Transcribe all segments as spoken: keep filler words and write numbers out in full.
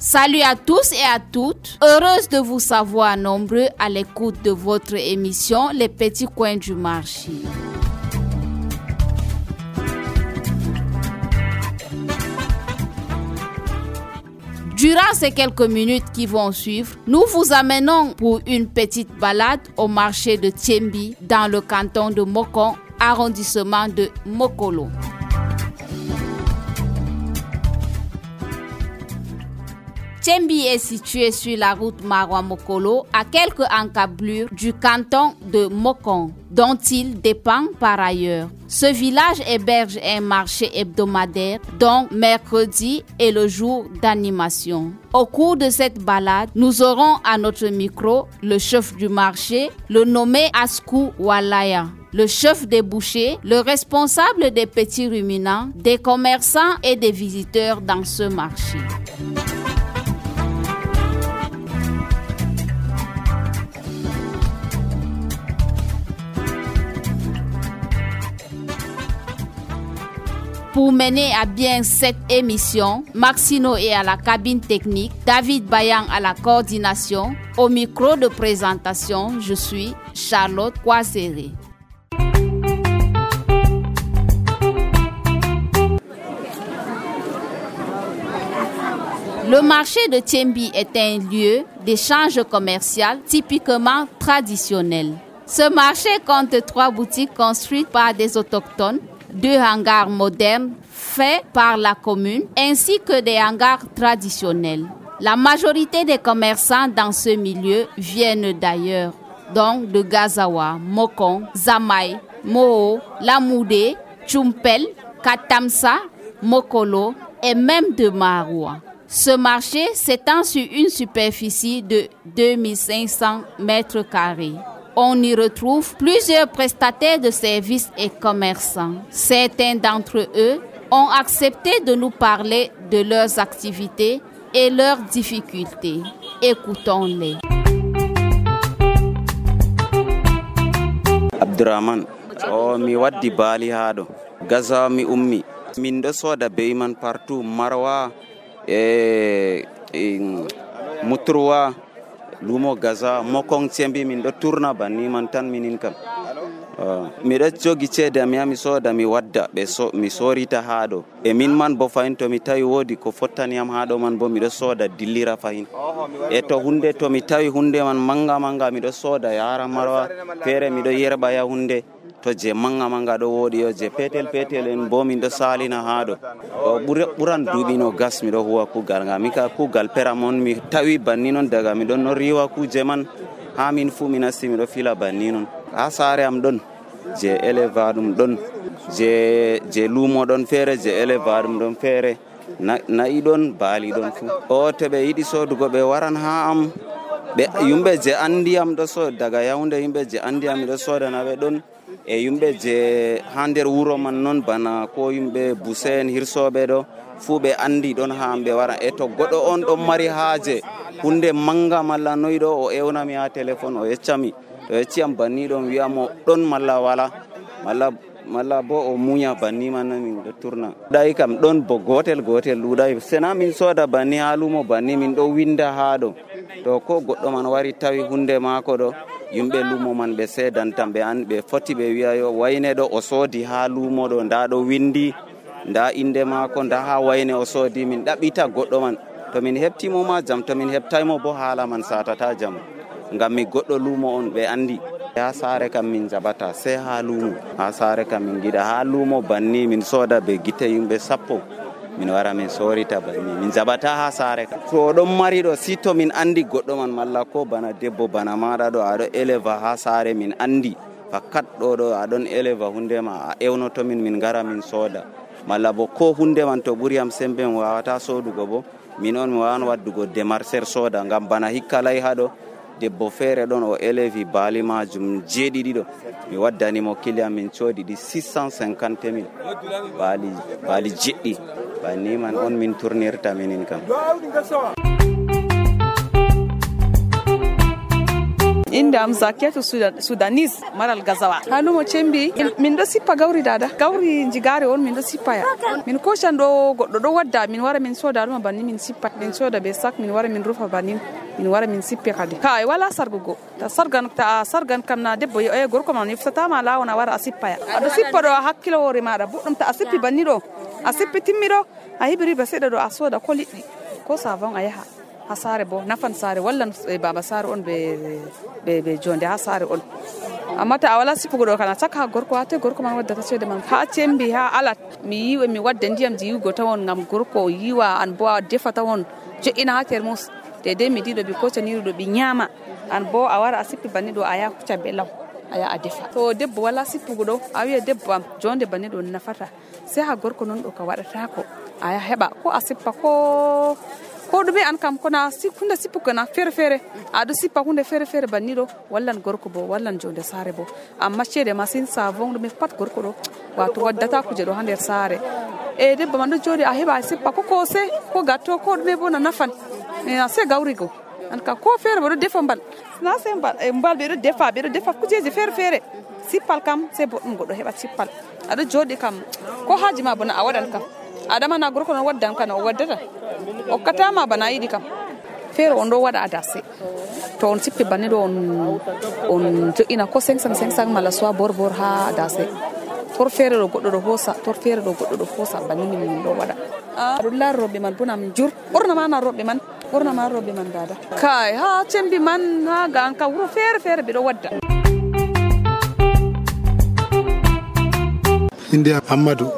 Salut à tous et à toutes, heureuse de vous savoir nombreux à l'écoute de votre émission Les Petits Coins du Marché. Durant ces quelques minutes qui vont suivre, nous vous amenons pour une petite balade au marché de Thiembi dans le canton de Mokon, arrondissement de Mokolo. Thiembi est situé sur la route Maroua-Mokolo à quelques encablures du canton de Mokon, dont il dépend par ailleurs. Ce village héberge un marché hebdomadaire, dont mercredi est le jour d'animation. Au cours de cette balade, nous aurons à notre micro le chef du marché, le nommé Askou Walaya, le chef des bouchers, le responsable des petits ruminants, des commerçants et des visiteurs dans ce marché. Pour mener à bien cette émission, Maxino est à la cabine technique, David Bayan à la coordination. Au micro de présentation, je suis Charlotte Kwasere. Le marché de Thiembi est un lieu d'échange commercial typiquement traditionnel. Ce marché compte trois boutiques construites par des autochtones, deux hangars modernes faits par la commune, ainsi que des hangars traditionnels. La majorité des commerçants dans ce milieu viennent d'ailleurs, donc de Gazawa, Mokon, Zamaï, Moho, Lamoudé, Tchumpel, Katamsa, Mokolo et même de Maroua. Ce marché s'étend sur une superficie de deux mille cinq cents mètres carrés. On y retrouve plusieurs prestataires de services et commerçants. Certains d'entre eux ont accepté de nous parler de leurs activités et leurs difficultés. Écoutons-les. Abdurrahman, oh mi waddi bali hado. Gaza mi ummi. Min do soda beyman partout Marwa e, e Muturwa. Lumo Gaza Mokon Thiembi min do tourna banni man tan minin kam uh, mi do jogi cede mi ami soda mi wadda be so mi sorita haado e min man bo fayin to mi tawi wodi ko fottani am haado man bo mi do soda dillira fayin e to hunde to mi tawi hunde man manga manga mi do soda yara Marwa fere mi do yerba ya hunde to je manga manga do wodi yo je petel petel en bo min do salina haado o buran dubino gas mi do huwa kugal nga mi ka kugal peramon mi tawi banni non daga mi don no riwa ku je man ha min fu min asi mi do fila banni non ha sare am don je elevadum don je je lumo don fere je elevadum don fere na nayi don bali don fu o to be yidi sodugo be waran ha am be yumbe je andi am do so daga yawnde yumbe je andi am do soda na be don e yumbe je hander wuro man non bana ko yumbe busen hirsobe do fube andi don hambe wara e to godo on do mari haaje hunde manga malla noydo o ewna mi ha telephone o yeccami to yecciam banni don wiamo don malla wala malla malla bo o munya banni man min do turna dai kam don bo gotel gotel ludai sena min soda banni halumo banni min do winda haado to ko goddo man wari tawi hunde mako do yumbe lumo man be sedan tambe an be foti be wiayo wayne do o sodi ha lumo do nda do windi nda inde mako nda ha wayne o sodi min dabita goddo man to min heptimo ma jam to min heptaymo bo hala man satata jam ngam mi goddo lumo on be andi ha sare kam min jabata se ha lumo ha sare kam min gida ha lumo banni min soda be gite yumbe sappo min wara min sorita banni min jabata ha sare kam to don mari do sito min andi goddo man malla ko bana debbo bana mada do ado eleva ha sare min andi fakat do do adon eleva hunde ma a ewno to min min gara min soda malla bo ko hunde man to buri am sembe wawata sodugo bo min on mi wan waddugo demarcher soda ngam bana hikkalay hado debbo fere don o elevi bali majum jeedidi do mi waddani mo kiliam min codi di six cent cinquante mille bali bali jeddi banni man on min tournirta minin kam Inde am Zakiyatu Sudanese maral gazawa. Halumo cembi min do sippa gawri dada. Gawri jigare on min do sippa ya. Min ko shando goddo do wadda min wara min soda dum banni min sippa min soda be sak min wara min rufa banni min wara min sippe kadi. Kai wala sargugo. Ta sargan ta sargan kam na debbo e gorko man iftata ma lawona wara asippa ya. Ado sippa do hakkilo hore maada buddum ta asippi banni do. Asippi timmido a hibiri ba seda do a soda ko liddi ko savon a yaha ha sare bo nafan sare wallan e baba sare on be be be jonde ha sare on amma ta wala sipugo do kana saka gorko ate gorko man wadda ta cede man ha cembi ha alat mi yiwe mi wadda ndiyam jiwgo tawon ngam gorko yiwa an bo defa tawon je ina ha termos de de mi dido bi ko taniru do bi nyama an bo a wara asippi banni do aya kuca be law aya a defa to debbo wala sipugo do a wiya debbo am jonde banni do nafata sai ha gorko non do ka wadata ko aya heba ko asippa ko ko dube an kam kona si kunde sippu kana fere fere adu sippa kunde fere fere bannido wallan gorko bo wallan jonde sare bo amma cede masin savon dum pat gorko do wato waddata kuje do hander sare e debbo man do jodi a heba sippa ko ko se ko gatto ko dum bo na nafan na se gawrigo an ka ko fere bo do defa mbal na se mbal e mbal be do defa be do defa kujeje fere fere sippal kam se bo dum godo heba sippal adu jodi kam ko haji ma bona a wadan kam adama na gorko non waddan kana o waddata o katama bana yidi kam fere on do wada adase to on sippi banni do on on to ina ko cinq cent cinquante mala so bor bor ha adase tor fere do goddo do hosa tor fere do goddo do hosa banni min do wada adulla robbe man bunam jur borna ma na robbe man borna ma robbe man dada kai ha cembi man ha ga an ka wuro fere fere be do wadda India Amadou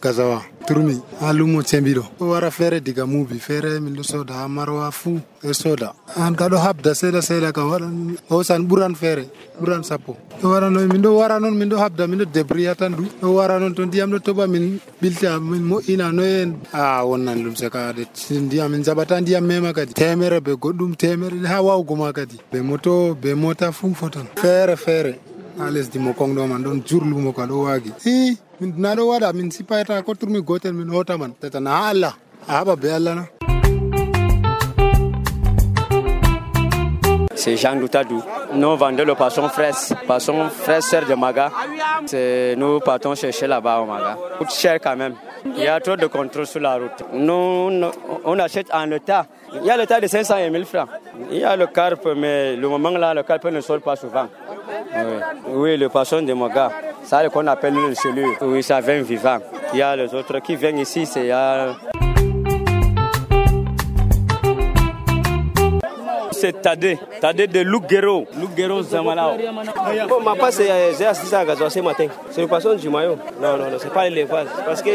Gazawa turmi alumo cembido wara fere diga mubi fere min do soda marwa fu e soda an gado habda sela sela ka waran o san buran fere buran sapo to wara no min do wara non min do habda min do debriatan du o wara non to diam do toba min bilta min mo ina no en a wonnan dum saka de diam min zabata diam mema kadi temere be goddum temere ha wawgo ma kadi be moto be mota fu foton fere fere ales di mo kongdo man don jurlu mo ka do wagi i min nado wada min sipayta ko turmi gotel min hota man tata na Allah aba be Allah na. C'est Jean Doutadou. Nous vendons le poisson frais, poisson frais sœur de Maga. C'est nous partons chercher là-bas au Maga. Coûte cher quand même. Il y a trop de contrôle sur la route. Nous, nous on achète en l'état. Il y a l'état de cinq cents et mille francs. Il y a le carpe, mais le moment là, le carpe ne sort pas souvent. Oui, oui, le poisson de Maga. Ça, c'est ce qu'on appelle le cellule. Oui, ça vient vivant. Il y a les autres qui viennent ici, c'est... Euh... C'est Tadé, Tadé de Lugero, Lugero Zamalao. Bon, ma part, j'ai assisté à Gazawa ce matin. C'est le poisson du maillot. Non, non, non, c'est pas l'élevage. Parce que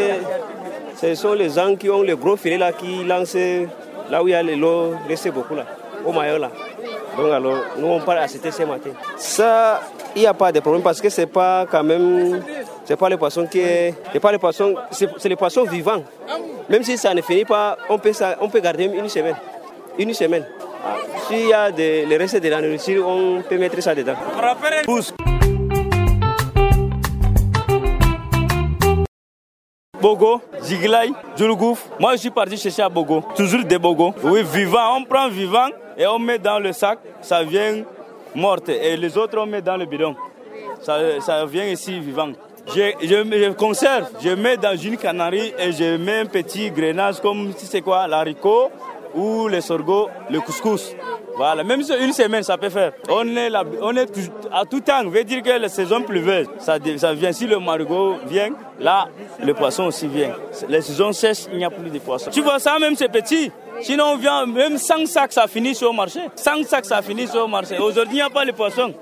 ce sont les gens qui ont les gros filets là, qui lancent là où il y a l'eau, reste beaucoup là, au maillot là. Donc alors, nous on part assister ce matin. Ça, il n'y a pas de problème parce que c'est pas quand même, c'est pas le poisson qui est, c'est pas le poisson, c'est, c'est le poisson vivant. Même si ça ne finit pas, on peut, ça, on peut garder une semaine, une semaine. S'il y a des, les restes de la nourriture, on peut mettre ça dedans. Bogo, Jiglaï, Djoulougouf. Moi, je suis parti chercher à Bogo. Toujours des Bogo. Oui, vivant. On prend vivant et on met dans le sac. Ça vient morte. Et les autres, on met dans le bidon. Ça, ça vient ici vivant. Je, je, je conserve. Je mets dans une canarie et je mets un petit grenage comme, tu sais quoi, l'haricot ou le sorgho, le couscous. Voilà, même sur une semaine, ça peut faire. On est, là, on est tout, à tout temps, veut dire que la saison pluvieuse, ça, ça vient. Si le marigot vient, là, le poisson aussi vient. Les saisons sèches, il n'y a plus de poissons. Tu vois ça, même c'est petit. Sinon, on vient, même cent sacs, ça finit sur le marché. cent sacs, ça finit sur le marché. Aujourd'hui, il n'y a pas de poisson.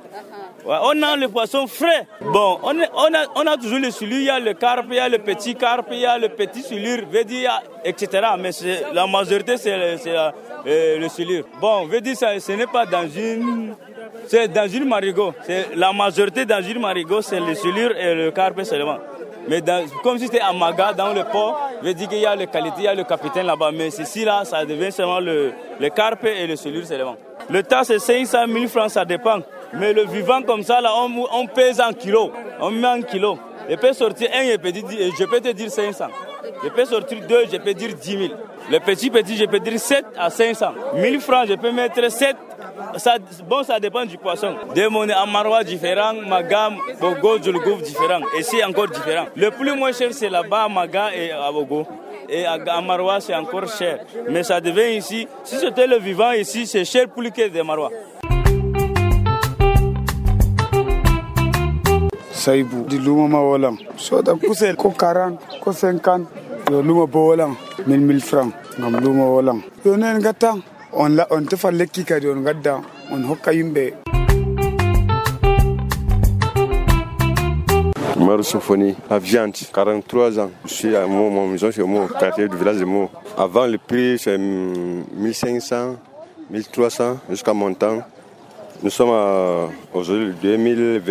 Ouais, on a le poisson frais. Bon, on, est, on, a, on a toujours le silure, il y a le carpe, il y a le petit carpe, il y a le petit silure, veut dire, et cetera. Mais c'est, la majorité, c'est, c'est euh, le silure. Bon, veut dire, ça, ce n'est pas dans une... C'est dans une marigot. C'est, la majorité dans une marigot, c'est le silure et le carpe seulement. Mais dans, comme si c'était à Maga, dans le port, veut dire qu'il y a le qualité, il y a le capitaine là-bas. Mais ici, là, ça devient seulement le, le carpe et le silure seulement. Le tas, c'est cinq cent mille francs, ça dépend. Mais le vivant comme ça, là, on, on pèse en kilos. On met en kilos. Je peux sortir un, je peux, dire, je peux te dire cinq cents. Je peux sortir deux, je peux dire dix mille. Le petit petit, je peux dire sept à cinq cents. mille francs, je peux mettre sept ça, bon, ça dépend du poisson. Des monnaies à Maroua différents, Maga, Bogo, Djulgouf différents. Et c'est encore différent. Le plus moins cher, c'est là-bas, Maga et à Bogo. Et à Maroua, c'est encore cher. Mais ça devient ici, si c'était le vivant ici, c'est cher plus que des Maroua. Saïbou, du Louma Wolam. Soit d'un coup, c'est quarante, cinquante. Le Louma Wolam, mille mille francs. Ngam Louma Wolam. On a un gâteau. On l'a, on te fait le kika de on gâteau. On hoka yimbe. Maru Sophonie, à Viande, quarante-trois ans. Je suis à mon, mon maison, c'est mon quartier du village de Meaux. Avant, le prix, c'est mille cinq cents, mille trois cents jusqu'à mon temps. Nous sommes à, aujourd'hui, deux mille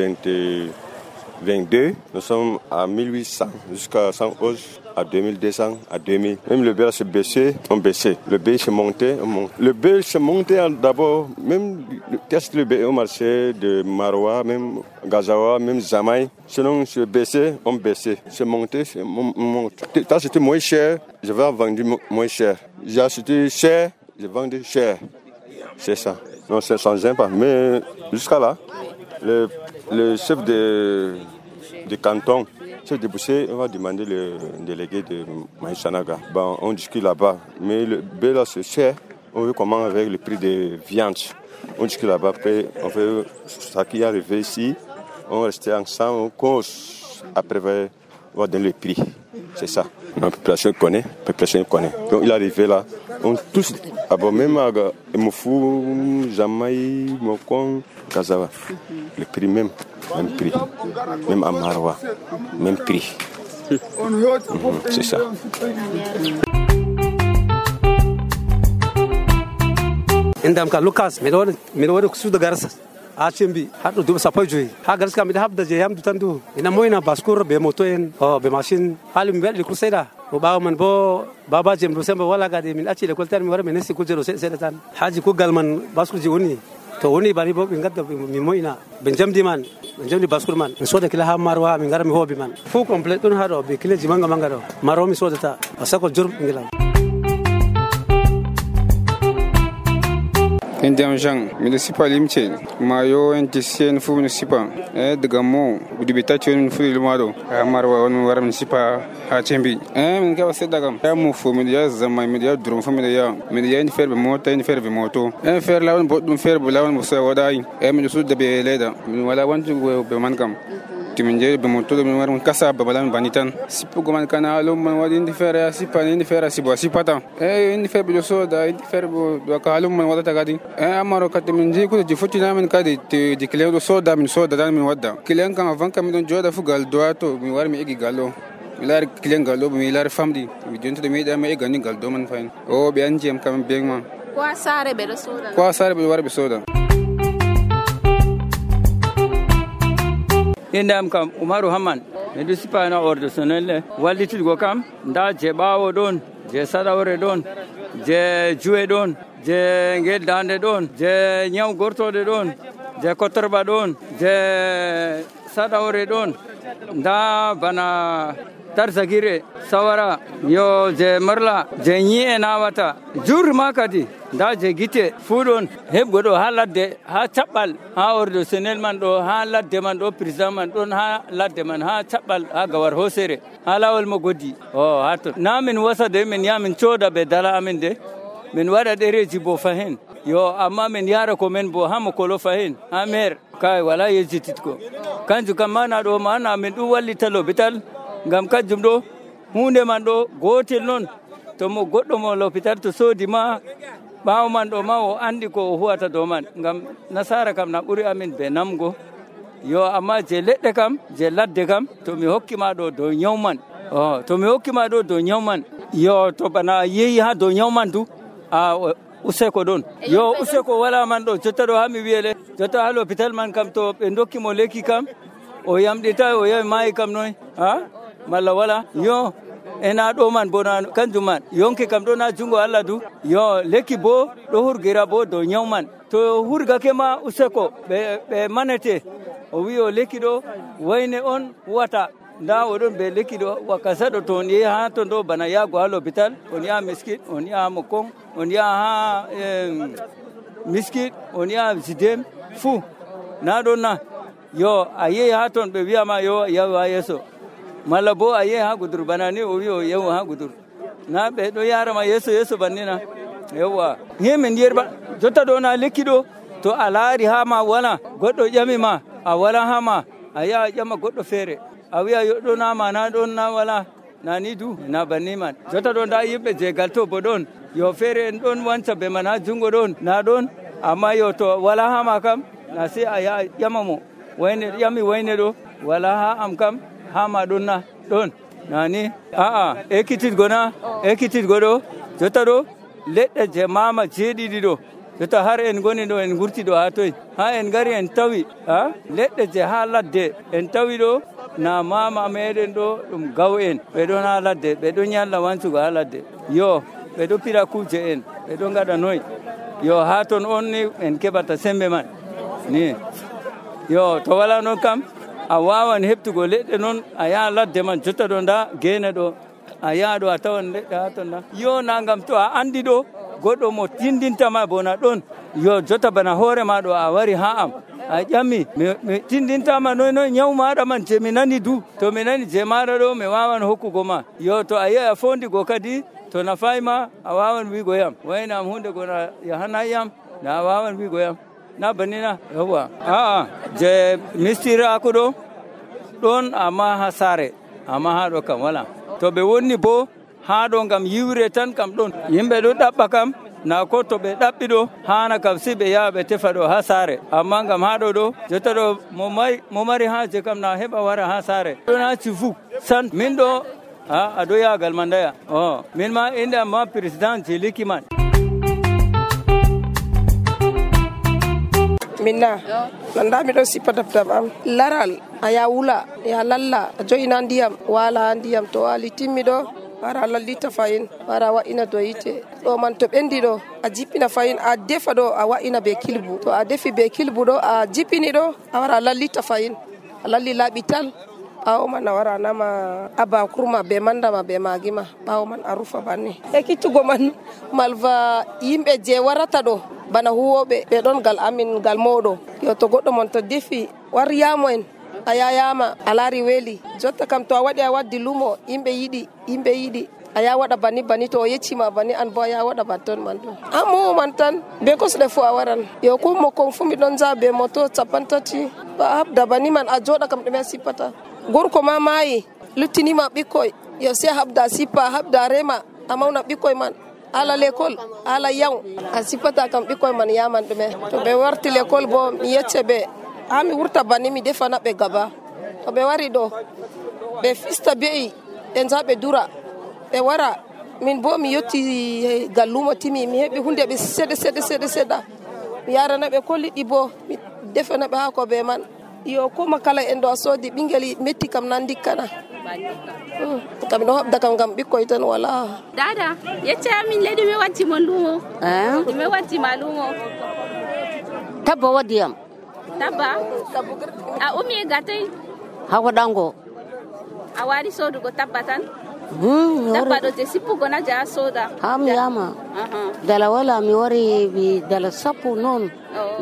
vingt-deux, nous sommes à mille huit cents jusqu'à cent onze, à deux mille deux cents, à deux mille. Même le bél s'est baissé, on baissait. Le bél s'est monté, on monte. Le bél s'est monté d'abord, même qu'est-ce que le bél au marché de Maroua, même Gazawa, même Zamaï. Sinon, c'est baissé, on baissait. C'est monté, c'est monté. Quand c'était moins cher, je vais vendre moins cher. J'ai acheté cher, je vends cher. C'est ça. Non, c'est sans impact. Mais jusqu'à là, le, le chef de, de canton, le chef de Boucher, on va demander le délégué de Maïsanaga. Bon, on discute là-bas. Mais le béla, c'est cher. On veut comment avec le prix de viande. On discute là-bas. Après, on fait ça qui est arrivé ici. On restait ensemble, on cause. Après, on va donner le prix. C'est ça. La population connaît, la population connaît. Donc il est arrivé là, on tous, d'abord même à Moufou, Jamaï, Mokon, Kazawa, le prix même, même prix, même à Maroua, même prix. Mmh, c'est ça. Indam ka Lucas, me do me do ku da garsa. A chimbi hadu du sapoy joy ha garska mi habda je yam dutandu ina moyna baskur be moto en o be machine halim be ku seda o bawo man bo baba jem do sembe wala gade min acci le koltar mi wara men si ku jero seda tan haji ku galman baskur ji woni to woni bari bo be ngadda mi moyna be jamdi man be jamdi baskur man mi soda kila ha marwa mi ngara mi hobi man fu complete dun hado be kila ji manga manga do maro mi soda ta asako jur ngilam Indiam Jean, municipal limche, mayo entisen fu municipal, eh de gamo, udibitation fu ilmado, marwa on war municipal ha chembi. Eh min ka sedda gam, ya mu fu media zama media drum fu media, media ni ferbe moto ni ferbe moto. Eh fer lawon bodum ferbe lawon mo so wadai, eh min su de be leda, min wala wantu be man gam. Timinje be moto min war kasa be balam banitan. Sipu goman kana alum man wadi ndi fer sipa ni fer sibo sipata. Eh ni ferbe do so da ni ferbe do ka alum man wadata gadi. Eh amaro kat min ji ko ji futina min kadi di kleo so da min so da min wadda kilen kan avant kam don joda fu gal do to mi war mi igi gallo mi lar kilen gallo mi lar famdi mi jonto de mi da mi gani gal do man fain o be anji am kam be ma ko sare be so da ko sare be war be so da indam kam Umaru Hamman me sipa na ordo sonelle wallitul go kam nda je bawo don je sadawre don je juwe don je ngel dande don je nyaw gortode don je kotorba don je sadawre don nda bana tarzagire sawara yo je marla je nyi nawata jur makati nda je gite fudon hebgodo ha ladde ha tabal ha ordo senel man do ha ladde man do president man don ha ladde man ha tabal ha gawar hosere ha lawol mo godi o hato namin wasade min yamin choda be dala amin de min wada dereji bo fahen yo amma min yara ko men bo hamo ko lo fahen amer kai wala yejitit ko kanju kamana do mana min du walli talo bital ngam kajum do hunde man do gotel non to mo goddo mo l'hôpital to sodi ma bawo man do ma o andi ko huwata do man ngam nasara kam na buri amin be namgo yo amma je ledde kam je ladde kam to mi hokkima do do nyawman oh to mi hokkima do do nyawman yo to bana yeyi ha do nyawman du a useko don yo useko wala man do jotta do ha mi wiele jotta ha l'hôpital man kam to be ndokki mo leki kam o yamdita o yai mai kam noy ha malla wala yo ena do man bona kanjum man yonke kam do na jungo Allah du yo leki bo do hurgira bo do nyawman to hurga kema useko be be manete o wi o leki do wayne on wata nda odon be leki do wakasa do ton ye ha to do bana ya go l'hôpital on ya miskit on ya mokon on ya ha miskit on yaha sidem fuu na ɗon na yo a yehi ha toon ɓe wiyama yo yahu ha yeeso malla bo a yehi ha gudur bana ni o wi o yahu ha gudur na ɓe ɗo yarama yeeso yeeso bannina yewwa himin yerba jotta ɗo na lekki ɗo to a laari ha ma wala goɗɗo ƴami ma a wala ha ma a yaha ƴama goɗɗo feere a wiya yo ɗo na ma na ɗon na wala na ni du na banni man jotta ɗo nda yimɓe jegal to bo ɗon yo feere en ɗon wanca be man ha jungo ɗon na ɗon amma yo to wala ha ma kam na sai a yaha ƴama mo wayne ƴami wayne ɗo wala ha am kam ha ma ɗon na ɗon nani aa ekkititgo na ekkititgo ɗo jotta ɗo leɗɗe je mama jeeɗiɗi ɗo jotta har en goni ɗo en gurti ɗo ha toy ha en gari en tawi ha leɗɗe je ha ladde en tawi ɗo na mama meɗen ɗo ɗum gaw en ɓe ɗon ha ladde ɓe ɗon ñalla wancugo ha ladde yo ɓe ɗo pira kuje en ɓe ɗo gaɗa noy yo ha toon on ni en keɓata sembe man ni yo to wala noon kam a wawan heɓtugo leɗɗe noon a yaha ladde man jotta ɗo nda gene ɗo a yaha ɗo a tawan leɗɗe ha toon nda yo nagam to a andi ɗo goɗɗo mo tindintama bona ɗon yo jotta bana hoore ma ɗo a wari ha am a ƴammi mi tindintama noy noy ñaw maɗa man je mi nani du to mi nani je maɗa ɗo mi wawan hokkugo ma yo to a yehi a fondigo kadi to nafayma a wawan wigo yam waynam hunde gona yahanayi yam na a wawan wigo yam na bannina yawwa aa je mistirako ɗo ɗon amma ha saare amma ha ɗo kam wala to ɓe wonni bo ha ɗo gam yiwre tan kam ɗon yimɓe ɗo ɗaɓɓa kam na ko to ɓe ɗaɓɓi ɗo hana kam si ɓe yaha ɓe tefa ɗo ha saare amma gam ha ɗo ɗo jotta ɗo mo mari haje kam na heɓa wara ha saare ɗon ha cifu san min ɗo a aɗo yagal ma ndaya o min ma inde am ma président je likiman minna nanda miɗo sippa dabdam am laral a ya wula ya lalla a joyina ndiyam wala ndiyam to wali timmi ɗo wara lallita fayin wara wa'ina do yite ɗo man to ɓendi ɗo a jippina fayin a defa ɗo a wa'ina be kilbu to a defi be kilbu ɗo a jippini ɗo a wara lallita fayin a lalli laaɓi tal ɓawo man a wara nama aba kurma be mandama be magima ɓawo man a rufa banni ekkittugo man malva yimɓe je warata ɗo bana huwoɓe ɓe ɗon gal amin gal mawɗo yo to goɗɗo mon to defi war yamo en a yayama a laari weeli jotta kam to a waɗi a waddi lumo yimɓe yiɗi yimɓe yiɗi a ya waɗa banni banni to o yeccima banni an bo a ya waɗa ban ton man ɗo a mowo man tan be kosɗe fo a waran yo ko mokkon fu miɗon jaa be moto capan tati ba habda banni man a joɗa kam ɗume a sippata gorko ma maayi luttinima ɓikkoy yo se habda sippa habda rema a mawna ɓikkoy man ala l'école ala yaw a sippata kam ɓikkoy man yaman ɗume to ɓe warti l'école bo mi yecce ɓe ha mi wurta banni mi defana ɓe gaba to ɓe wari ɗo ɓe fista be'i ɓe nja ɓe dura ɓe wara min bo mi yetti gallumo timi mi heɓi hunde ɓe seɗe seɗe seɗe seɗa mi yarana ɓe ko liɗɗi bo mi defana ɓe ha ko ɓe man yo koma kala en ɗo a soodi ɓinguel metti kam nan dikkana kam ɗo habda kam gam ɓikkoy tan wala dada yecce amin leydi mi wattimo lumo mi wattima lumo tabba waddiyam tabba a umi e gatay ha waɗango a wari sodugo tabba tan tabba ɗo je sippugo na je a soda ha mi yama dala wala mi wari mi dala sappo noon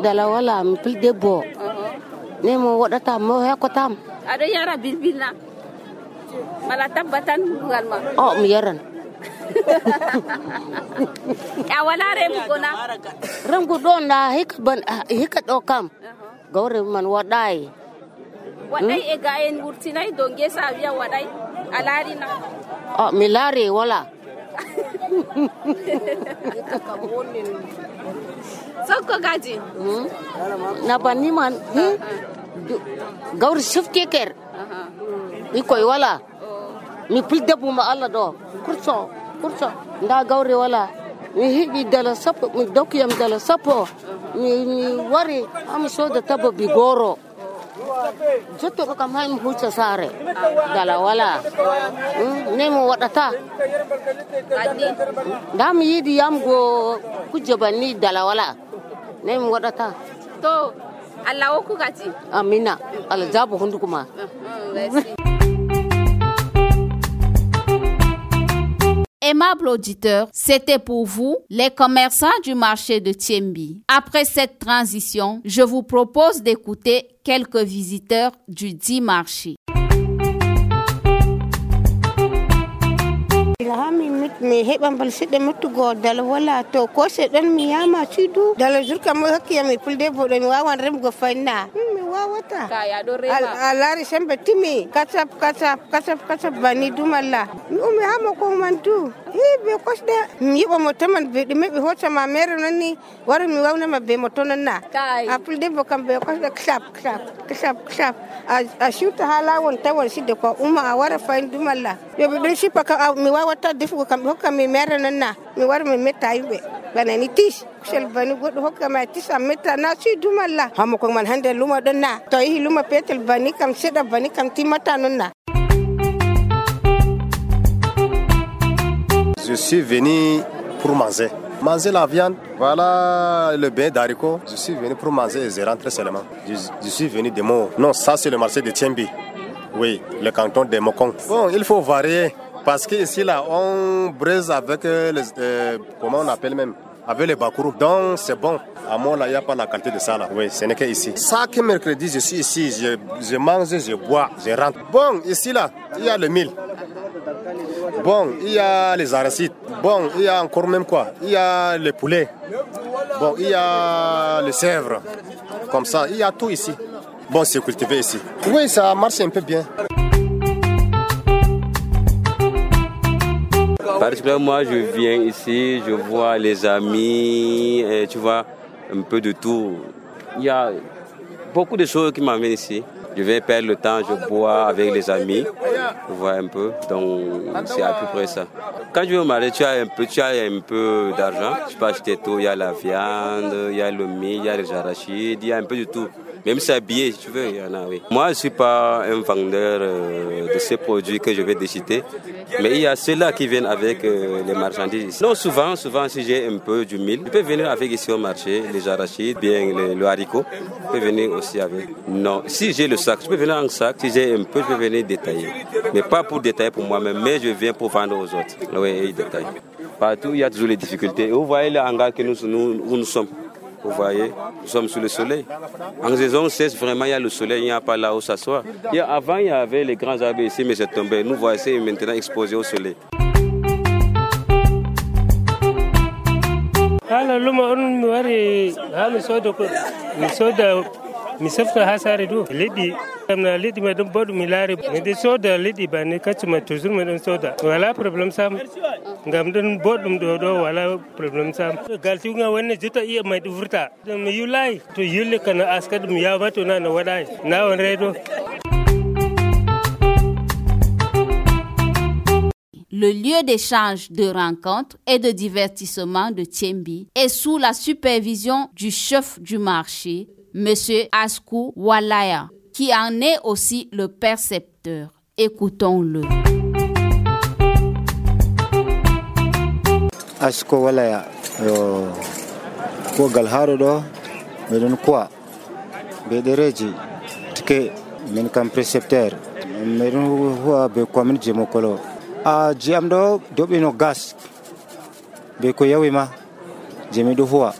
dala wala mi pil debbo ne mo waɗata mo hekkotam aɗo yara bilbilna mala tabba tan ngal ma o mi yaran a wala remugo na remugo ɗo na hikka ban hikka ɗo kam gawre man waɗay waɗay e ga en wurtinay do ngesa a wiya waɗay a laarina o mi laari wala sokko gaji na banni man gawri sufti ker ikoy wala mi pildebbu ma Allah ɗo kurso kurso nda gawri wala mi heɓi dala sappo mi dokkiyam dala sappo mi mi wari ami soda tabba bi goro jotto ɗo kam hay mi hucca saare dala wala ne mo waɗata nda mi yiɗi yamgo kujje banni dala wala ne mi waɗata to Allah hokku gati amina Allah jabo hunduko ma Aimables auditeurs, c'était pour vous, les commerçants du marché de Thiembi. Après cette transition, je vous propose d'écouter quelques visiteurs du dit marché. Ilhami mit me heɓam bal seɗɗa mettugo dala wala to ko seɗɗan mi yama ciidu dala jurka mo hakkiya mi fulde boɗo mi wawan remgo fayna mi wawata a laari sembe timi kacap kacap kacap kacap bani dumalla mi umi hama ko man du ɓe kosɗe mi yiɓa mo taman ɓe ɗume ɓe hoccama mere noon ni wara mi wawnama be mo tonon na a fulde bo kam ɓe kosɗe klap klap klap klap a siwta ha lawol tawon sidde ko uma a wara fayin dumalla yoɓe ɗon sippa ka mi wawata defugo kam ɓe hokka mi mere noon na mi wara mi metta yimɓe bana ni tis kusel bani goɗɗo hokkama tis a metta na suydumalla hamo ko man hande luma ɗon na to yehi luma petel bani kam seɗa bani kam timmata noon na. Je suis venu pour manger. Manger la viande, voilà le bain d'haricots. Je suis venu pour manger et je rentre seulement. Je, je suis venu de Mo. Non, ça c'est le marché de Thiembi. Oui, le canton de Mokong. Bon, il faut varier parce qu'ici là, on braise avec les, euh, comment on appelle même, avec les bakourous. Donc c'est bon. À moi là, il n'y a pas la qualité de ça là. Oui, ce n'est qu'ici. Chaque mercredi, je suis ici, je, je mange, je bois, je rentre. Bon, ici là, il y a le mil. Bon, il y a les arachides. Bon, il y a encore même quoi? Il y a les poulets. Bon, il y a les chèvres. Comme ça, il y a tout ici. Bon, c'est cultivé ici. Oui, ça marche un peu bien. Particulièrement, moi, je viens ici, je vois les amis, et tu vois, un peu de tout. Il y a beaucoup de choses qui m'amènent ici. Je vais perdre le temps, je bois avec les amis, tu vois un peu, donc c'est à peu près ça. Quand je vais au marché, tu as un peu, tu as un peu d'argent, tu peux acheter tout, il y a la viande, il y a le mil, il y a les arachides, il y a un peu de tout. Même s'habiller, si tu veux, il y en a, oui. Moi, je ne suis pas un vendeur euh, de ces produits que je vais déciter, mais il y a ceux-là qui viennent avec euh, les marchandises. Non, souvent, souvent, si j'ai un peu du mil, je peux venir avec ici au marché, les arachides, bien le, le haricot, je peux venir aussi avec. Non, si j'ai le sac, je peux venir en sac, si j'ai un peu, je peux venir détailler. Mais pas pour détailler pour moi-même, mais je viens pour vendre aux autres. Oui, ils détaillent. Partout, il y a toujours les difficultés. Vous voyez le hangar que nous, nous, où nous sommes. Vous voyez, nous sommes sous le soleil. En saison seize, vraiment, il y a le soleil, il n'y a pas là où s'asseoir. Avant, il y avait les grands arbres ici, mais c'est tombé. Nous voici maintenant exposés au soleil. mi safta ha sare do leɗɗi amna leɗɗi ma ɗum boɗum mi laari mi ɗe soda leɗɗi banni kaccuma toujours mi ɗon soda wala probléme sam ngam ɗon boɗɗum ɗo ɗo wala probléme sam galtiga wonne jotta iya may ɗo vurta mi yulayi to yulle kana aska ɗum yawma to na no waɗayi na on reedo. Le lieu d'échange, de rencontres et de divertissement de Thiembi est sous la supervision du chef du marché, Monsieur Askou Walaya, qui en est aussi le percepteur. Écoutons-le. Askou Walaya, ko galharo do, medon quoi, bedereji, tike, men kam percepteur, medon huwa be kwamin jemokolo. A jiam do dobi no gas, be ko yawima, jemi do huwa.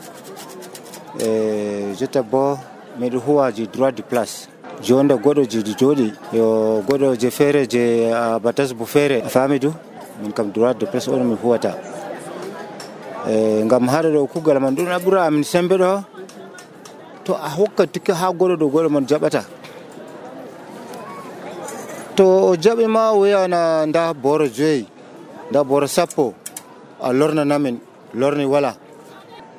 Jota bo meɗo huwa je droit de place jonde goɗɗo je jooɗi yo goɗɗo je feere je batas bo feere a faami du min kam droit de place on mi huwata e ngam haɗa ɗo kugal man ɗum ɓura amin sembe ɗo to a hokka tikka ha goɗɗo ɗo goɗɗo man jaɓata to o jaɓi ma o wiyana nda boro joyi nda boro sappo a lornanamin lorni wala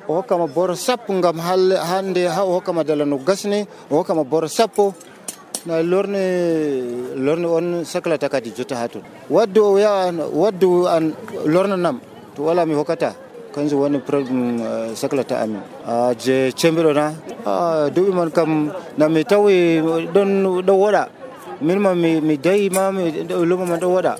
o hokkama boro sappo ngam hande ha o hokkama dala no gasni o hokkama boro sappo na lorne lorne on saklata kadi jotta ha ton waddu o ya waddu an lornanam to wala mi hokkata kanjum woni probléme saklata amin a je cembiɗo na a duɓi man kam na mi tawi ɗon ɗo woɗa min ma mi mi dayi ma mi luma man ɗo woɗa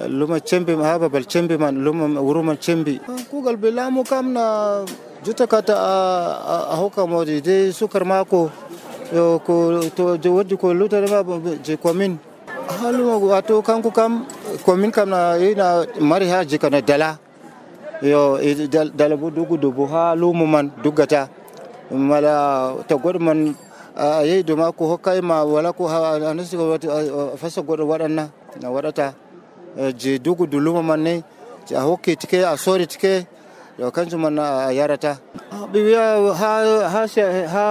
luma cembi ha babal cembi man luma wuro man cembi kugal be laamu kam na jotta kata a hokka modi de sukar mako yo ko to waddi ko lutare ma je commune haluma wato kanko kam commune kam na ina mari haji kana dala yo dala bo dugu dubu ha lumu man dugata mala ta godman ayi do ma ko hokkay ma wala ko anasi ko fasa godo wadanna na wadata je dugu du lumu man ne a hokki tike a sori tike yo kanju man yarata bi wiya ha ha ha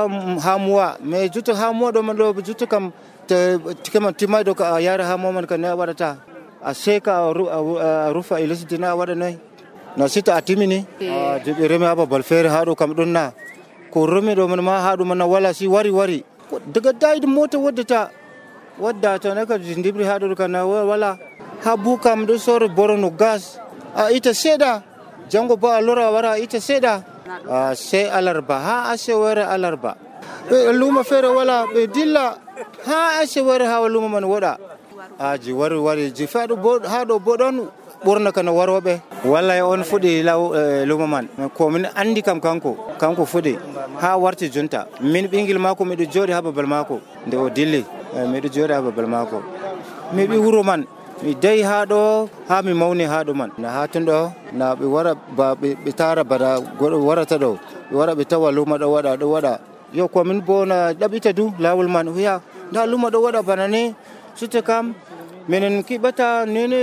ha muwa me juto ha muwa do man do juto kam tike man timay do ka yara ha mo man kan ne wadata a seka rufa ilisitina wadanai na sita atimini je be reme aba balfere hado kam donna ko reme do man ma hado man wala si wari wari daga dayid mota wadata wadda ta naka jindibri hado kan wala ha bukam do sor borono gas a ita seda jango ba lora wara ita seda a se alarba ha ase wara alarba be luma fere wala be dilla ha ase wara ha luma man wada aji wari wari ji fado bod hado bodon burna kana warobe wallahi on fudi law luma man ko min andi kam kanko kanko fudi ha warti junta min bingil mako mi do jodi ha babal mako nde o dilli mi do jodi ha babal mako mi bi wuro man mi dai hado ha mi mawni hado man na hatun do na be wara ba be tara bada warata do be wara be tawa luma do wada do wada yo ko min bona dabita du lawul man huya da luma do wada banane sute kam menen kibata nene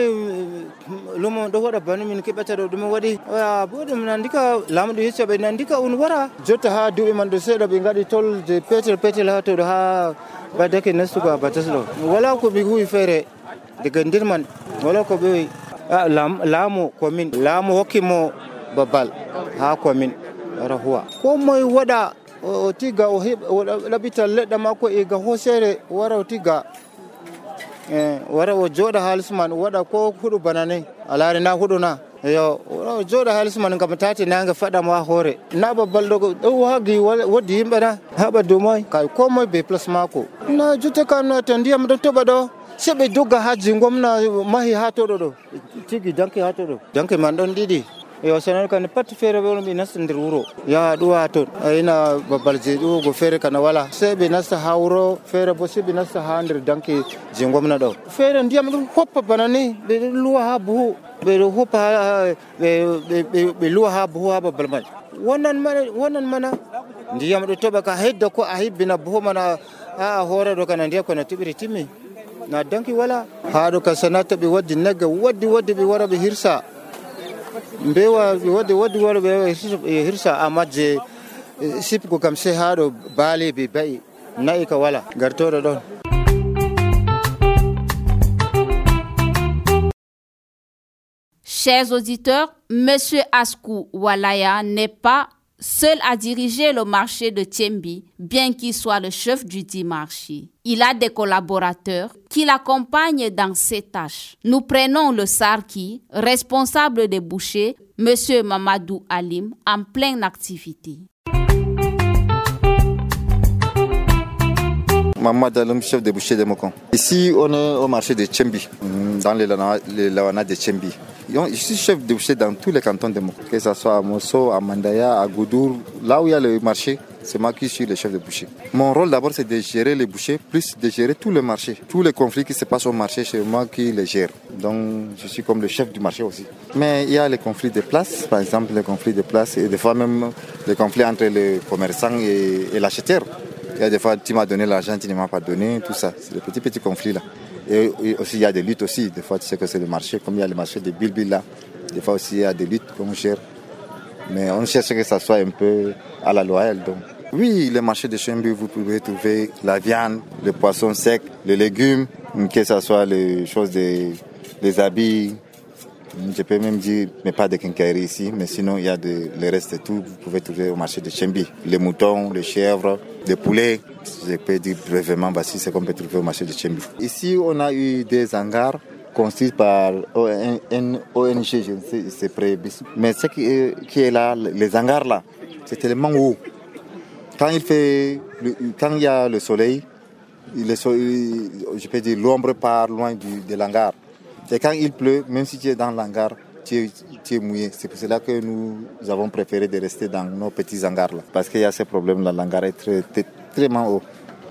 lumo do wada banu min kibata do dum wadi bodum nandika lamdo yecce be nandika un wara jotta ha dubi man do seda be ngadi tol je petel petel ha to ha badake nastu ko bataslo wala ko bi hui fere daga ndirman wala ko be lam lamu komin lamu hokimo babal ha komin rahuwa ko moy wada o tiga o labita ledda mako e ga hosere wara o tiga eh wara o joda halisman wada ko hudu banane alare na hudu na yo o joda halisman kam tati nanga fada ma hore na babal do do wagi wodi himbe na haba do moy kay ko moy be plus mako na jute kan na tandiyam do toba do sebe doga haji ngomna mahi hato do tigi danke hato do danke man don didi yo sanan kan pat fere be mi nasindir wuro ya duwa to ina babal je do go fere kana wala sebe nasta hawro fere bo sebe nasta handir danke jingomna do fere ndiyam dum hoppa banani be luwa ha bu be hoppa be be luwa ha bu ha babal man wonan mana wonan mana ndiyam do toba ka hedda ko a hibbina bu mana a hore do kana ndiyam ko na tibiri timmi na danki wala haado ka sanata be waddi naga waddi waddi be wara be hirsa mbewa waddi waddi wara be hirsa amaje sip ko kam se haado baale be bai naika wala gartoro don. Chers auditeurs, Monsieur Askou Walaya n'est pas seul à diriger le marché de Tchembi, bien qu'il soit le chef du dit marché. Il a des collaborateurs qui l'accompagnent dans ses tâches. Nous prenons le Sarki, responsable des bouchers, Monsieur Mamadou Alim, en pleine activité. Mamadou Alim, chef des bouchers de Mokon. Ici, on est au marché de Tchembi, dans les lawana de Tchembi. Je suis chef de boucher dans tous les cantons de Moko, que ce soit à Mosso, à Mandaya, à Goudour, là où il y a le marché, c'est moi qui suis le chef de boucher. Mon rôle d'abord c'est de gérer les bouchers, plus de gérer tout le marché. Tous les conflits qui se passent au marché, c'est moi qui les gère. Donc je suis comme le chef du marché aussi. Mais il y a les conflits de place, par exemple les conflits de place et des fois même les conflits entre les commerçants et, et l'acheteur. Il y a des fois tu m'as donné l'argent, tu ne m'as pas donné, tout ça. C'est des petits petits conflits là. Et aussi il y a des luttes aussi, des fois tu sais que c'est le marché, comme il y a le marché de Bilbil là, des fois aussi il y a des luttes qu'on gère, mais on cherche que ça soit un peu à la loyale. Donc. Oui, le marché de Tchembi, vous pouvez trouver la viande, le poisson sec, les légumes, que ce soit les choses des, des habits, je peux même dire, mais pas de quincaillerie ici, mais sinon il y a de, le reste de tout, vous pouvez trouver au marché de Tchembi, les moutons, les chèvres, les poulets. Je peux dire brièvement, voici ce qu'on peut trouver au marché de Tchembi. Ici, on a eu des hangars construits par une O N G, je ne sais, c'est près. Mais ce qui est, qui est là, les hangars là, c'est tellement haut. Quand il fait, quand il y a le soleil, le soleil je peux dire l'ombre part loin du, de l'hangar. Et quand il pleut, même si tu es dans l'hangar, tu es, tu es mouillé. C'est pour cela que nous avons préféré de rester dans nos petits hangars là. Parce qu'il y a ce problème là, l'hangar est très, très, très haut.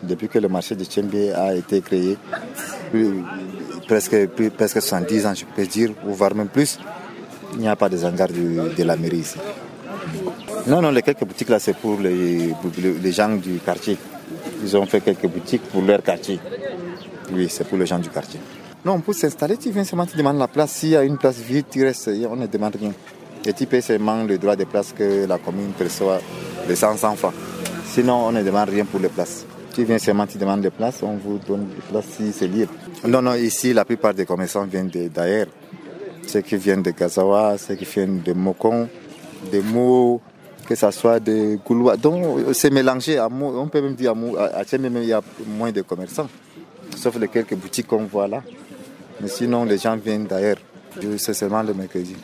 depuis que le marché de Tchembi a été créé, presque, presque soixante-dix ans, je peux dire, ou voire même plus, il n'y a pas de hangar de, de la mairie ici. Non, non, les quelques boutiques là, c'est pour les, les gens du quartier. Ils ont fait quelques boutiques pour leur quartier. Oui, c'est pour les gens du quartier. Non, pour s'installer, tu viens seulement, tu demandes la place. S'il y a une place vide, tu restes, on ne demande rien. Et tu payes seulement le droit de place que la commune perçoit de cent francs. Sinon, on ne demande rien pour les places. Tu viens seulement, tu demandes des places, on vous donne des places si c'est libre. Non, non, ici, la plupart des commerçants viennent d'ailleurs. Ceux qui viennent de Gazawa, ceux qui viennent de Mokon, de Mou, que ce soit de Gouloua. Donc, c'est mélangé. À Mou, on peut même dire à Mou, à Tchembe, il y a moins de commerçants. Sauf les quelques boutiques qu'on voit là. Mais sinon, les gens viennent d'ailleurs. C'est seulement le mercredi.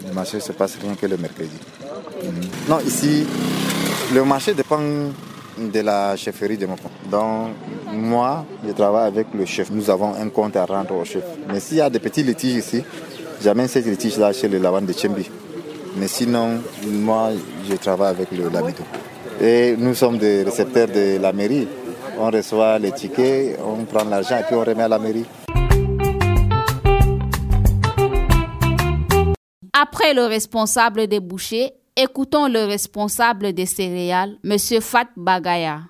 Le marché ne se passe rien que le mercredi. Mmh. Non, ici, le marché dépend de la chefferie de Mokon. Donc, moi, je travaille avec le chef. Nous avons un compte à rendre au chef. Mais s'il y a des petits litiges ici, j'amène ces litiges-là chez le Lawan de Tchembi. Mais sinon, moi, je travaille avec le Lamido. Et nous sommes des récepteurs de la mairie. On reçoit les tickets, on prend l'argent et puis on remet à la mairie. Après le responsable des bouchers, écoutons le responsable des céréales, M. Fat Bagaya.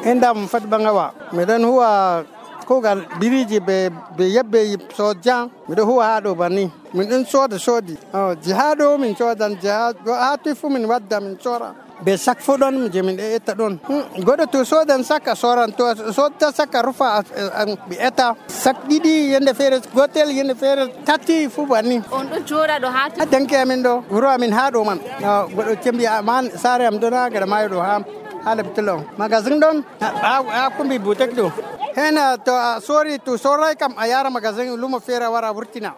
Endam Fat Bangawa, medan huwa kogal biriji be be yabbe sojan, medan huwa hado bani. Min ɗon soda sodi. Oh, jihado min sodan jihad do hatu fu min wadda min sora. Be sak fu ɗon je min eta ɗon. Goɗɗo to sodan saka soran to sodta saka rufa ɓe eta sak ɗiɗi yende feere gotel yende feere tati fu banni. On ɗo joɗa ɗo ha danke amin ɗo wuro amin ha ɗo man. Goɗɗo cembi man sare am ɗon ha gaɗa mayo ɗo ha ha lebtelo. Magasin ɗon ha kumbi butek ɗo. Hena to sori to sorai kam a yara magasin lumo feere wara wurtina.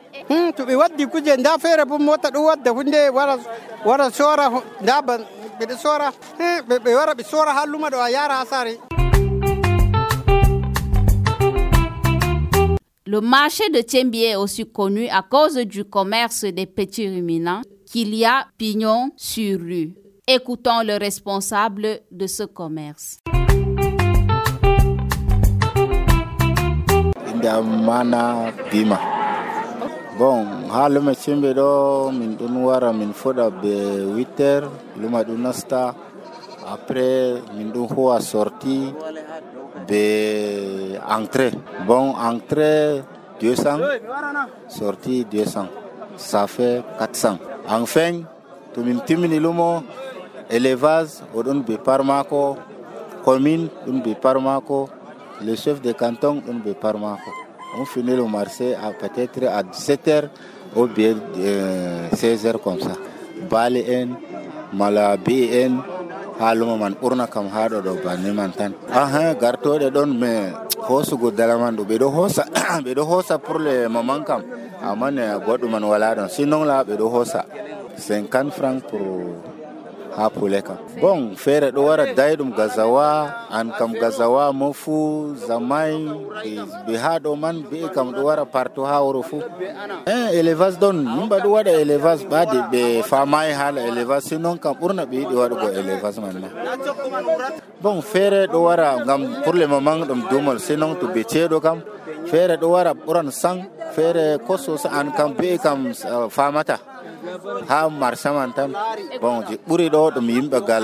To ɓe waddi kuje nda feere bo mota ɗo wadda hunde wara wara sora nda ban ɓe sora ɓe wara ɓe sora ha luma ɗo a yara ha sare. Le marché de Tchembi est aussi connu à cause du commerce des petits ruminants qu'il y a pignon sur rue. Écoutons le responsable de ce commerce. Mana Bima. Bon, ha luma Tchembi do min ɗon wara min foɗa be huit heures luma ɗum nasta. Après min ɗon huwa sorti be entrée. Bon, entrée deux cents, sortie deux cents. Ça fait quatre cents. Enfin, to min timini lumo élevage oɗon be parmako, commune ɗon be parmako, le chef de canton ɗon be parmako. On finit le marché à peut-être à dix-sept heures ou bien euh, seize heures comme ça. Bali en, mala bi en, haluma man urna kam haɗo ɗo banni man tan. Aha, gartoɗe ɗon mais hosugo dalaman ɗo ɓeɗo hosa ɓeɗo hosa pour le moment kam amane goɗɗo man wala ɗon sinon la ɓeɗo hosa cinquante francs pour ha pule kam. Bon, feere ɗo wara dayɗum Gazawa, an kam Gazawa mofu zamai ɓe ha ɗo man be kam ɗo wara partout ha wuro fu. Eh, élevage ɗon yimɓe ɗo waɗa élevage ɓade ɓe famai hala élevage sinon kam ɓurna ɓe yiɗi waɗugo élevage man ma. Bon, feere ɗo wara ngam pour le moment ɗum dumal sinon to ɓe ceeɗo kam feere ɗo wara ɓuran sang feere koso an kam be kam uh, famata. Ha marsaman tan bon je ɓuri ɗo ɗum yimɓe gal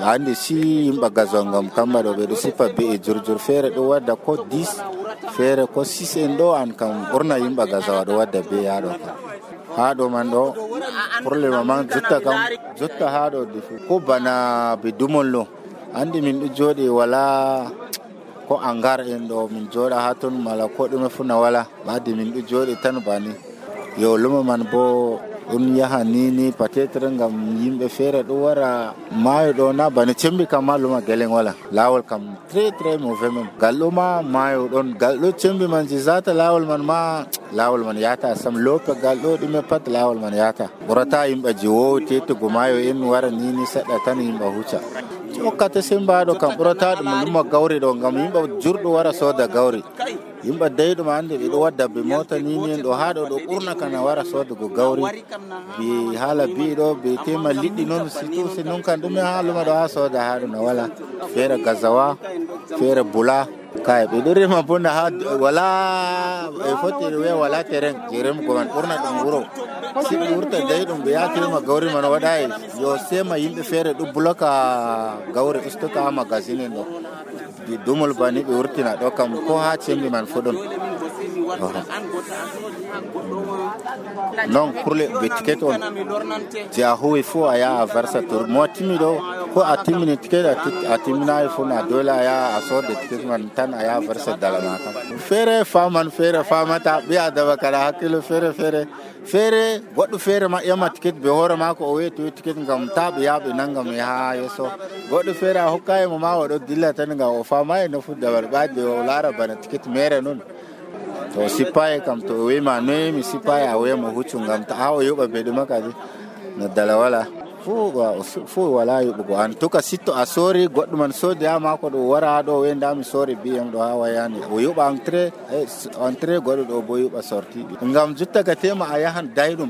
hande si yimɓe gazongam kamba ɗo ɓeɗo sifa be e jurjur feere ɗo wadda ko dix feere ko six en ɗo an kam ɓurna yimɓe gazawa ɗo wadda be yaɗo kam ha ɗo man ɗo pour le moment jotta kam jotta ha ɗo defu ko bana be dumollo andi min ɗo jooɗi wala ko angar en ɗo min jooɗa ha ton mala ko ɗume fu na wala ɓadde min ɗo jooɗi tan bani yo lumo man bo ɗum yaha ni ni peut-être ngam yimɓe feere ɗo wara maayo ɗo na bana Tchembi kam ma luma gelen wala lawol kam très très mauvais même gal ɗo ma maayo ɗon gal ɗo Tchembi man je zata lawol man ma lawol man yata sam lope gal ɗo ɗume pat lawol man yata ɓurata yimɓe je wowi tetugo maayo en wara ni ni seɗɗa tan yimɓe hucca hokkata sembaɗo kam ɓurata ɗum luma gawri ɗo ngam yimɓe jurɗo wara sooda gawri yimɓe dayɗum hannde ɓe ɗo wadda be mota ni ni ɗo haa ɗo ɗo ɓurna kana wara soodugo gawri ɓe haala bii ɗo ɓe tema liɗɗi noon surtout si noon kan ɗume haaluma ɗo haa sooda haa ɗo no wala feere gazawa feere bula kay ɓe ɗo rema bonda haa wala e foti wiya wala terrain je remugo man ɓurna ɗum wuro si ɓe wurta dayɗum ɓe yatirima gawri man waɗayi yo sema yimɓe feere ɗo bloka gawri ustoka ha magazine en ɗo dumol bani ɓe wurtina ɗo kam ko ha cembi man fo ɗon non pour le ɓe ticket on je a huwi fo a yaha a versa tour mo timmi ɗo ko a timmini ticket a timminayi fo na dole a yaha a sodde ticket man tan a yaha versa dalama kam feere faman feere famata ɓi adama kala hakkilo feere feere feere goɗɗo feere ma ƴama ticket ɓe hoore mako o wiyetoyi ticket ngam ta ɓe yaha ɓe nangam yaha yesso goɗɗo feere a hokkayimo ma oɗo dilla tan ngam o famayi no fuddabar ɓaade o laara bana ticket mere noon to sipaye kam to o wima noyi mi sipaye a wiyamo huccu ngam ta ha o yoɓa ɓe ɗuma kadi no dala wala fo wala yoɓugo an tuka sitto a soori goɗɗo man soodi ha mako ɗo wara ha ɗo wenda mi soori biyam ɗo ha wayani o yoɓa entré entré goɗɗo ɗo bo yoɓa sorti ngam jutta ka tema a yahan dayɗum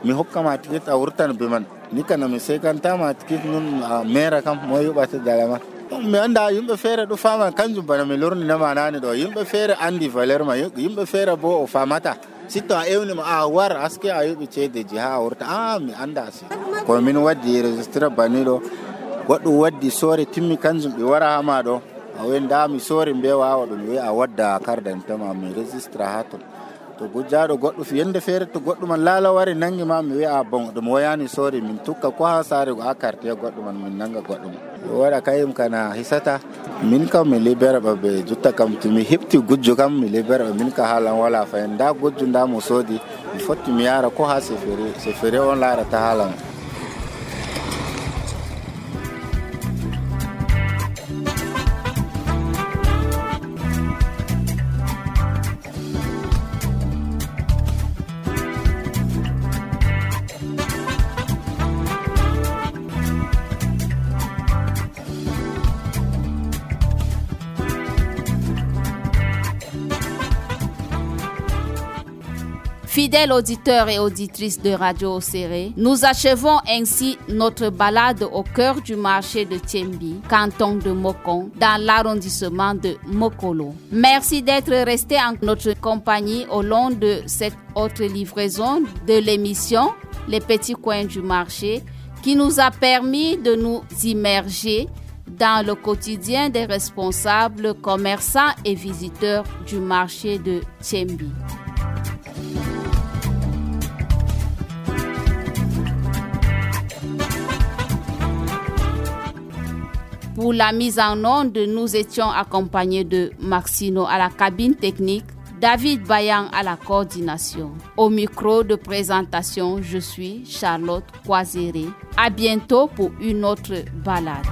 mi hokkama ticket a wurtan be man ni kana mi sekantama ticket nun mera kam mo yoɓata dala man mi anda yimɓe feere ɗo fama kanjum bana mi lorninama nani ɗo yimɓe feere andi valeur ma yimɓe feere bo o famata sitto a ewnima a war aske a yoɓi ceedeji ha a wurta a mi anda si ko min waddi registre bani ɗo goɗɗo waddi soori timmi kanjum ɓe wara hama ɗo a wenda mi soori mbe wawa ɗum wi a wadda kardantama mi registre ha ton to gujjaɗo goɗɗo yende feere to goɗɗo man laala wari nangi ma mi wi'a bon ɗum woyani soori min tukka ko ha saare ha carte goɗɗo man min nanga goɗɗo man waɗa kayim kana hisata min kam mi libére ɓe ɓe jutta kam to mi heɓti gujjo kam mi libére ɓe min ka haalan wala fayin nda gujjo nda mo soodi mi fotti mi yara ko ha sefere sefere on laarata haalan Fidèles auditeurs et auditrices de Radio Oséré, nous achevons ainsi notre balade au cœur du marché de Thiembi, canton de Mokon, dans l'arrondissement de Mokolo. Merci d'être restés en notre compagnie au long de cette autre livraison de l'émission Les Petits Coins du Marché, qui nous a permis de nous immerger dans le quotidien des responsables, commerçants et visiteurs du marché de Thiembi. Pour la mise en onde, nous étions accompagnés de Maxino à la cabine technique, David Bayan à la coordination. Au micro de présentation, je suis Charlotte Kwazere. À bientôt pour une autre balade.